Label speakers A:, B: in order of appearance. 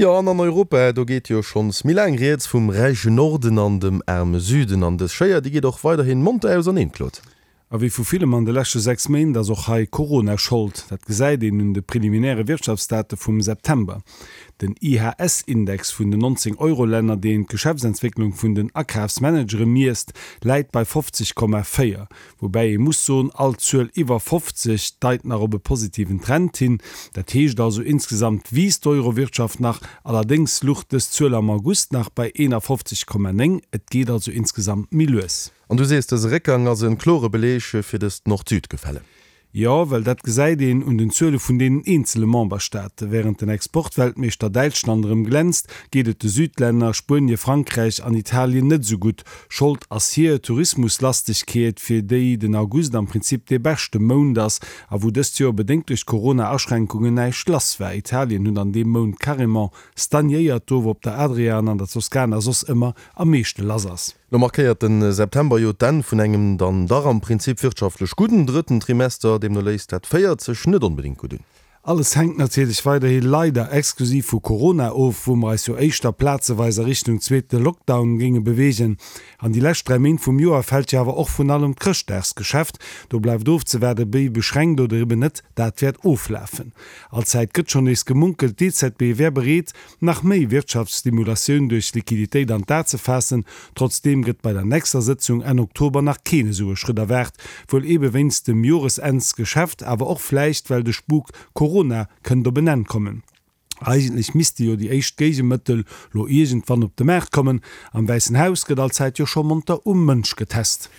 A: Jo, an an Europa, do geet jo schonns méi laang rieds vum räichen Norden an dem aarme Süden. An dës Schéier, déi geet och weiderhin monter auserneen, Claude.
B: A wéi vu villem an de leschte 6 Méint ass och hei Corona Schold. Dat gesäit een un de preliminäre Wirtschaftsdate vum September. Den IHS-Index vun den 19 Euro-Länner, deen d'Geschäftsentwécklung vun den Akafsmanagere miesst, läit bei 50,4. Woubäi ee muss soen, all Zuel iwwer 50 deit nach op e positiven Trend hin. Dat heescht also, insgesamt wiisst d'Euro-Wirtschaft nach. Allerdéngs luch dës Zuel am August nach bei 51,9. Et geet also insgesamt méi lues.
A: An du sees, dëse Réckgang ass e klore Beleeg fir dëst Nord-Süd-Gefälle.
B: Jo, well dat gesäit een un den Zuele vun deenen eenzele Memberstaate. Wärend den Exportweltmeeschter Däitschland erëm glänzt, geet et de Südlänner, Spuenie, Frankräich an Italien net esou gutt. Schold ass hir Tourismuslastegkeet, fir déi den August am Prinzip dee beschte Mount ass a wou dëst Joer bedéngt duerch d'Corona-Aschränkunge näischt lass war. Italien huet an deem Mount carrément stagnéiert, do wou op der Adria an an der Toskana soss ëmmer am meeschte lass ass.
A: Lo markéiert de September jo d'Enn vun engem dann dach am Prinzip wirtschaftlech gudden drëtten Trimester. Deemno léisst dat véiert sech net onbedéngt gutt un.
B: Alles hänkt natierlech weiderhi leider exklusiv vu Corona of, wou mer eis jo éischter plazeweis a Richtung zweete Lockdown géinge beweegen. An déi lescht 3 Méint vum Joer fält jo awer och vrun allem d'Chrëschtdagsgeschäft. Do bleift ofzewaarden, wéi beschränkt oder eben net dat wäert oflafen. Allzäit gëtt schonn nees gemunkelt, d'EZB wär bereet, nach méi Wirtschaftsstimulatioun duerch Liquiditéit an d'A ze faassen. Trotzdeem gëtt bei der nächster Sëtzung Enn Oktober nach keen esou e Schrëtt erwaart, wuel eebe wéinst dem Joresennsgeschäft, awer och vläicht well de Spuk Corona kënnt op en Enn kommen. Eigentlech misste jo déi éischt Géigemëttel lo iergendwann op de Maart kommen. Am Wäissen Haus gëtt allzäit jo scho monter um Mënsch getest.